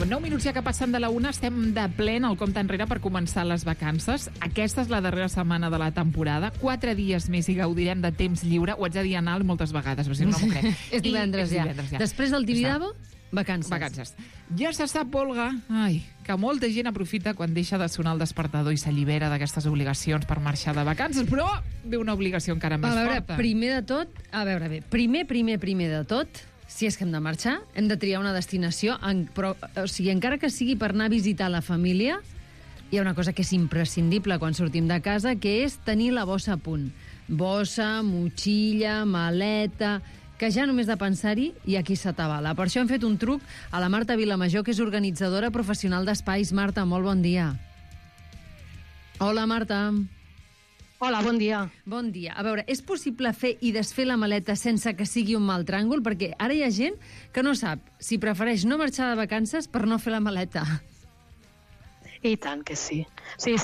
9 minuts ja que passen de la 1, estem de ple al compte enrere per començar les vacances. Aquesta és la darrera setmana de la temporada. 4 dies més i gaudirem de temps lliure. Ho haig de dir a Nal moltes vegades, però si no m'ho crec. És divendres ja. Després del Tibidabo, vacances. Ja se sap, Olga, que molta gent aprofita quan deixa de sonar el despertador i s'allibera d'aquestes obligacions per marxar de vacances, però ve una obligació encara més forta. Primer de tot, si és que hem de marxar, hem de triar una destinació, però, encara que sigui per anar a visitar la família, hi ha una cosa que és imprescindible quan sortim de casa, que és tenir la bossa a punt. Bossa, motxilla, maleta, que ja només de pensar-hi i aquí s'atabala. Per això hem fet un truc a la Marta Vilamajor, que és organitzadora professional d'espais. Marta, molt bon dia. Hola, Marta. Hola, bon dia. Bon dia. A veure, és possible fer i desfer la maleta sense que sigui un mal tràngol? Perquè ara hi ha gent que no sap si prefereix no marxar de vacances per no fer la maleta. I tant que sí. Sí.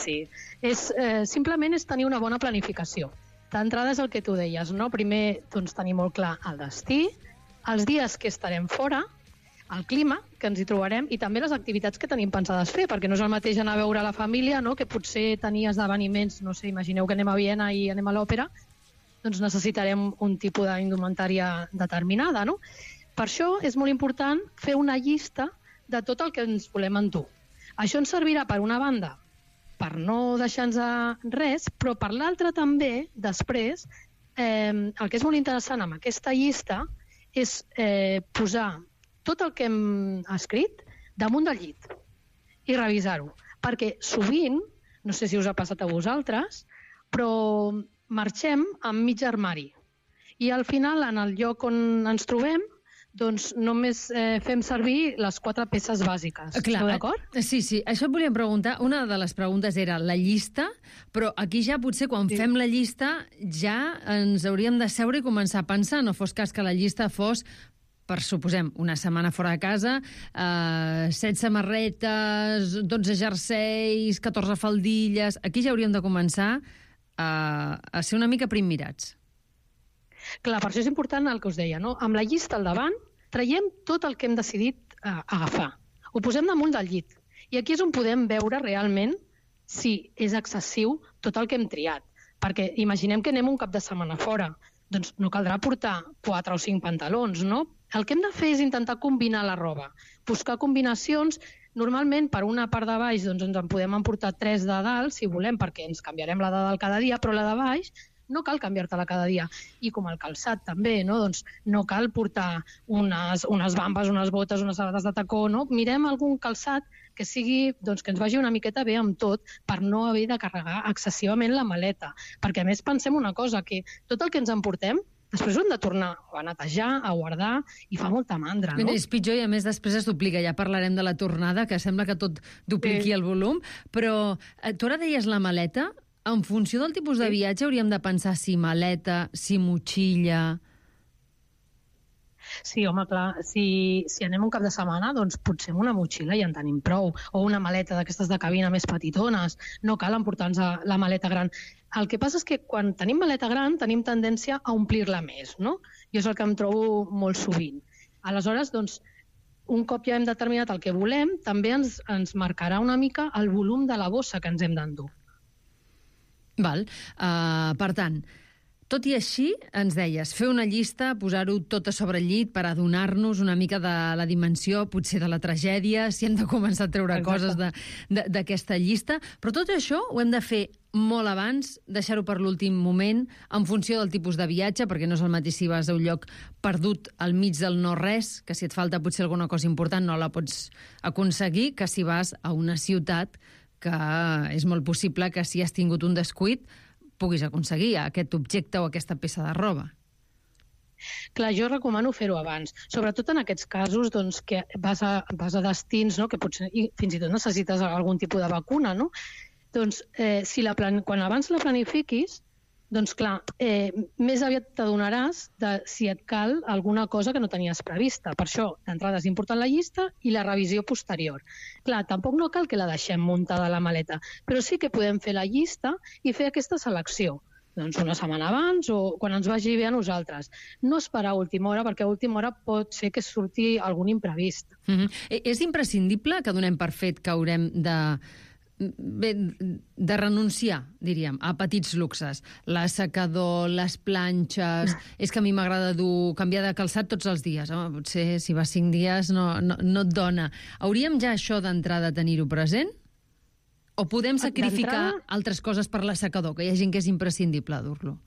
Simplement és tenir una bona planificació. D'entrada és el que tu deies, no? Primer, doncs, tenir molt clar el destí, els dies que estarem fora, el clima que ens hi trobarem i també les activitats que tenim pensades fer, perquè no és el mateix anar a veure la família, no? Que potser tenir esdeveniments, no sé, imagineu que anem a Viena i anem a l'òpera, doncs necessitarem un tipus d'indumentària determinada, no? Per això és molt important fer una llista de tot el que ens volem endur. Això ens servirà, per una banda, per no deixar-nos res, però per l'altra també, després, el que és molt interessant amb aquesta llista és posar tot el que hem escrit damunt del llit i revisar-ho. Perquè sovint, no sé si us ha passat a vosaltres, però marxem amb mig armari. I al final, en el lloc on ens trobem, doncs només fem servir les 4 peces bàsiques. Esteu d'acord? Sí. Això et volíem preguntar. Una de les preguntes era la llista, però aquí ja potser quan fem la llista ja ens hauríem de seure i començar a pensar. No fos cas que la llista fos, per suposem, una setmana fora de casa, 7 samarretes, 12 jerseis, 14 faldilles... Aquí ja hauríem de començar a ser una mica primmirats. Clar, per això és important el que us deia, no? Amb la llista al davant, traiem tot el que hem decidit agafar. Ho posem damunt del llit. I aquí és on podem veure realment si és excessiu tot el que hem triat. Perquè imaginem que anem un cap de setmana fora. Doncs no caldrà portar 4 o 5 pantalons, no? El que hem de fer és intentar combinar la roba. Buscar combinacions. Normalment, per una part de baix, doncs ens en podem emportar 3 de dalt, si volem, perquè ens canviarem la de dalt cada dia, però la de baix no cal canviar-te-la cada dia. I com el calçat també, no? Doncs no cal portar unes bambes, unes botes, unes sabates de tacó, no? Mirem algun calçat que sigui, doncs, que ens vagi una miqueta bé amb tot per no haver de carregar excessivament la maleta. Perquè a més pensem una cosa, que tot el que ens emportem després ho hem de tornar a netejar, a guardar, i fa molta mandra, no? És pitjor i a més després es duplica. Ja parlarem de la tornada, que sembla que tot dupliqui el volum, però tu ara deies la maleta. En funció del tipus de viatge hauríem de pensar si maleta, si motxilla... Sí, home, clar, si anem un cap de setmana, doncs potser amb una motxilla ja en tenim prou, o una maleta d'aquestes de cabina més petitones, no cal emportar-nos la maleta gran. El que passa és que quan tenim maleta gran tenim tendència a omplir-la més, no? I és el que em trobo molt sovint. Aleshores, doncs, un cop ja hem determinat el que volem, també ens marcarà una mica el volum de la bossa que ens hem d'endur. Val. Per tant, tot i així, ens deies, fer una llista, posar-ho tot a sobre el llit per adonar-nos una mica de la dimensió, potser de la tragèdia, si hem de començar a treure coses d'aquesta llista, però tot això ho hem de fer molt abans, deixar-ho per l'últim moment, en funció del tipus de viatge, perquè no és el mateix si vas a un lloc perdut al mig del no-res, que si et falta potser alguna cosa important no la pots aconseguir, que si vas a una ciutat que és molt possible que si has tingut un descuit puguis aconseguir aquest objecte o aquesta peça de roba. Clar, jo recomano fer-ho abans, sobretot en aquests casos doncs, que vas a destins, no? Que potser fins i tot necessites algun tipus de vacuna, no? Doncs quan abans la planifiquis, doncs clar, més aviat t'adonaràs de si et cal alguna cosa que no tenies prevista. Per això, d'entrada és important la llista i la revisió posterior. Clar, tampoc no cal que la deixem muntada a la maleta, però sí que podem fer la llista i fer aquesta selecció. doncs una setmana abans o quan ens vagi bé a nosaltres. No esperar a última hora, perquè a última hora pot ser que surti algun imprevist. És imprescindible que donem per fet que haurem de renunciar, diríem, a petits luxes. L'assecador, les planxes... És que a mi m'agrada canviar de calçat tots els dies. Home, potser si vas 5 dies no et dona. Hauríem ja això d'entrada tenir-ho present? O podem sacrificar altres coses per l'assecador, que hi ha gent que és imprescindible dur-lo?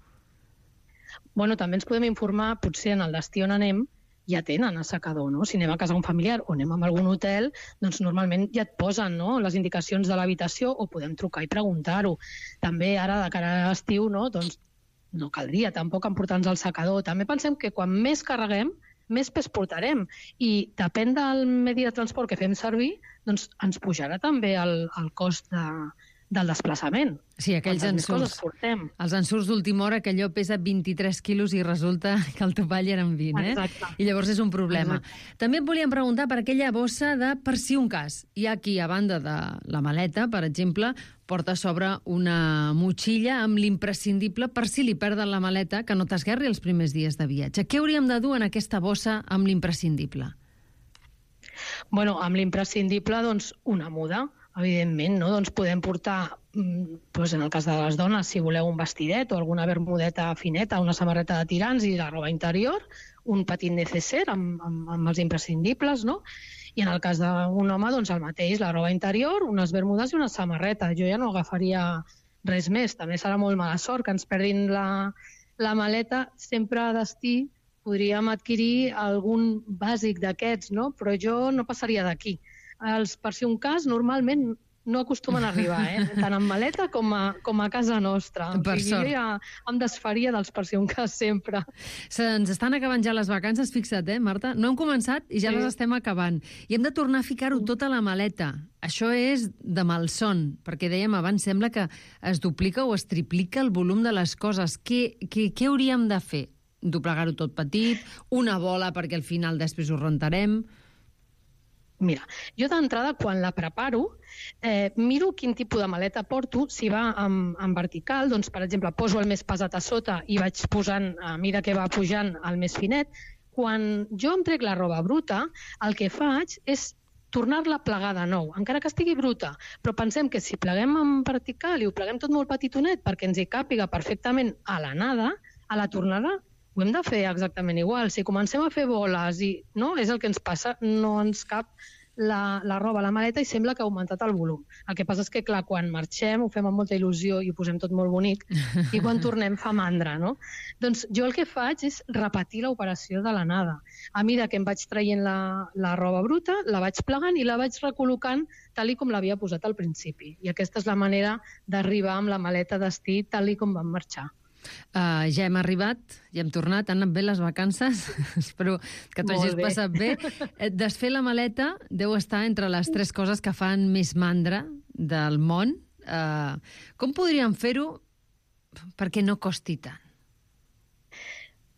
Bueno, també ens podem informar, potser en el destí on anem, ja tenen assecador, no? Si anem a casa d'un familiar o anem a algun hotel, doncs normalment ja et posen, no?, les indicacions de l'habitació o podem trucar i preguntar-ho. També ara, de cara a l'estiu, no?, doncs no caldria tampoc emportar-nos el secador. També pensem que quan més carreguem, més pes portarem. I depèn del medi de transport que fem servir, doncs ens pujarà també el cost del desplaçament. Sí, aquells ensurts. Els ensurts d'última hora, que allò pesa 23 quilos i resulta que el topall eren 20, eh? Exacte. I llavors és un problema. Exacte. També et volíem preguntar per aquella bossa de per si un cas. Hi ha qui, a banda de la maleta, per exemple, porta a sobre una motxilla amb l'imprescindible per si li perden la maleta, que no t'esguerri els primers dies de viatge. Què hauríem de dur en aquesta bossa amb l'imprescindible? Bueno, amb l'imprescindible, doncs, una muda, evidentment, no? Doncs podem portar, doncs en el cas de les dones, si voleu un vestidet o alguna bermudeta fineta, una samarreta de tirants i la roba interior, un petit necessaire amb els imprescindibles, no? I en el cas d'un home, doncs el mateix, la roba interior, unes bermudes i una samarreta. Jo ja no agafaria res més. També serà molt mala sort que ens perdin la maleta. Sempre a destí podríem adquirir algun bàsic d'aquests, no? Però jo no passaria d'aquí. Per si un cas, normalment no acostumen a arribar, tant en maleta com a casa nostra. Per sort. Jo ja em desfaria dels per si un cas sempre. Se'ns estan acabant ja les vacances, fixa't, Marta? No hem començat i ja les estem acabant. I hem de tornar a ficar-ho tot a la maleta. Això és de malson, perquè dèiem abans, sembla que es duplica o es triplica el volum de les coses. Què hauríem de fer? Doblegar-ho tot petit, una bola perquè al final després ho rentarem... Mira, jo d'entrada, quan la preparo, miro quin tipus de maleta porto. Si va en vertical, doncs, per exemple, poso el més pesat a sota i vaig posant, a mesura que va pujant, el més finet. Quan jo em trec la roba bruta, el que faig és tornar-la a plegar de nou, encara que estigui bruta. Però pensem que si pleguem en vertical i ho pleguem tot molt petitonet perquè ens hi càpiga perfectament a l'anada, a la tornada, ho hem de fer exactament igual. Si comencem a fer boles i no, és el que ens passa, no ens cap la roba a la maleta i sembla que ha augmentat el volum. El que passa és que, clar, quan marxem ho fem amb molta il·lusió i ho posem tot molt bonic i quan tornem fa mandra, no? Doncs jo el que faig és repetir l'operació de l'anada. A mesura que em vaig traient la roba bruta, la vaig plegant i la vaig recol·locant tal com l'havia posat al principi. I aquesta és la manera d'arribar amb la maleta destí tal com vam marxar. Ja hem arribat, ja hem tornat, han anat bé les vacances, espero que t'ho hagis passat bé. Desfer la maleta deu estar entre les 3 coses que fan més mandra del món. Com podríem fer-ho perquè no costi tant?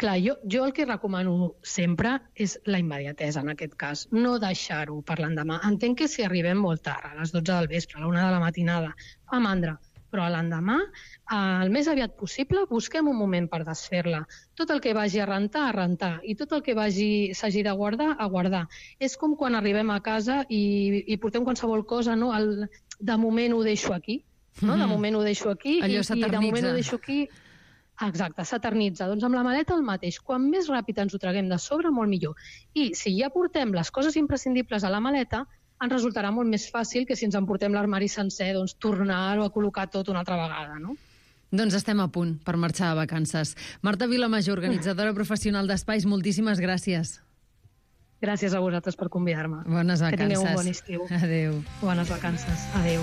Clar, jo el que recomano sempre és la immediatesa, en aquest cas. No deixar-ho per l'endemà. Entenc que si arribem molt tard, a les 12 del vespre, a la 1 de la matinada, fa mandra. Però a l'endemà, el més aviat possible, busquem un moment per desfer-la. Tot el que vagi a rentar, i tot el que s'hagi de guardar, a guardar. És com quan arribem a casa i portem qualsevol cosa, no? De moment ho deixo aquí, no? De moment ho deixo aquí, allò i de moment ho deixo aquí. Exacte, s'eternitza. Doncs amb la maleta el mateix. Quan més ràpid ens ho traguem de sobre, molt millor. I si ja portem les coses imprescindibles a la maleta, ens resultarà molt més fàcil que si ens emportem l'armari sencer, doncs tornar-ho a col·locar tot una altra vegada, no? Doncs estem a punt per marxar de vacances. Marta Vilamajor, organitzadora professional d'espais, moltíssimes gràcies. Gràcies a vosaltres per convidar-me. Bones vacances. Que tingueu un bon estiu. Adéu. Bones vacances. Adéu.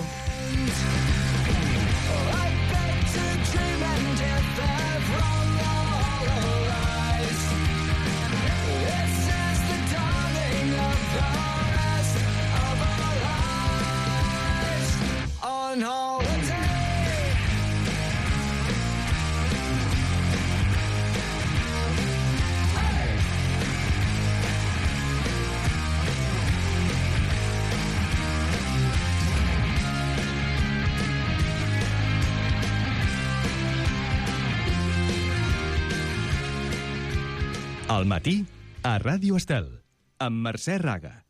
Al matí, a Ràdio Estel, amb Mercè Raga.